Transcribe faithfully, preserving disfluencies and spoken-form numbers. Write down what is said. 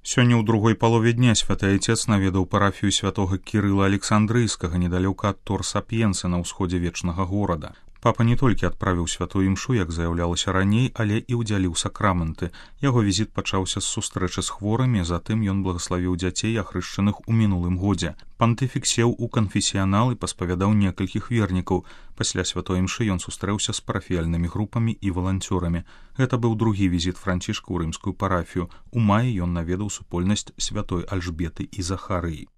Сёння ў другой палове дня святы айцец наведаў парафію святога Кірыла Александрыйскага недалёка ад Тор-Сапьенсы на ўсходзе вечнага горада. Папа не толькі адправіў святую імшу, як заяўлялася раней, але і ўдзяліў сакрамэнты. Яго візіт пачаўся з сустрэчы з хворымі, затым ён благаславіў дзяцей, ахрышчаных у мінулым годзе. Пантыфік сеў у канфесіянал і паспавядаў некалькіх вернікаў. Пасля святой імшы ён сустрэўся з парафіяльнымі групамі і валанцёрамі. Гэта быў другі візіт францішка ў рымскую парафію. У маі ён наведаў супольнасць святой Альжбеты і Захарыі.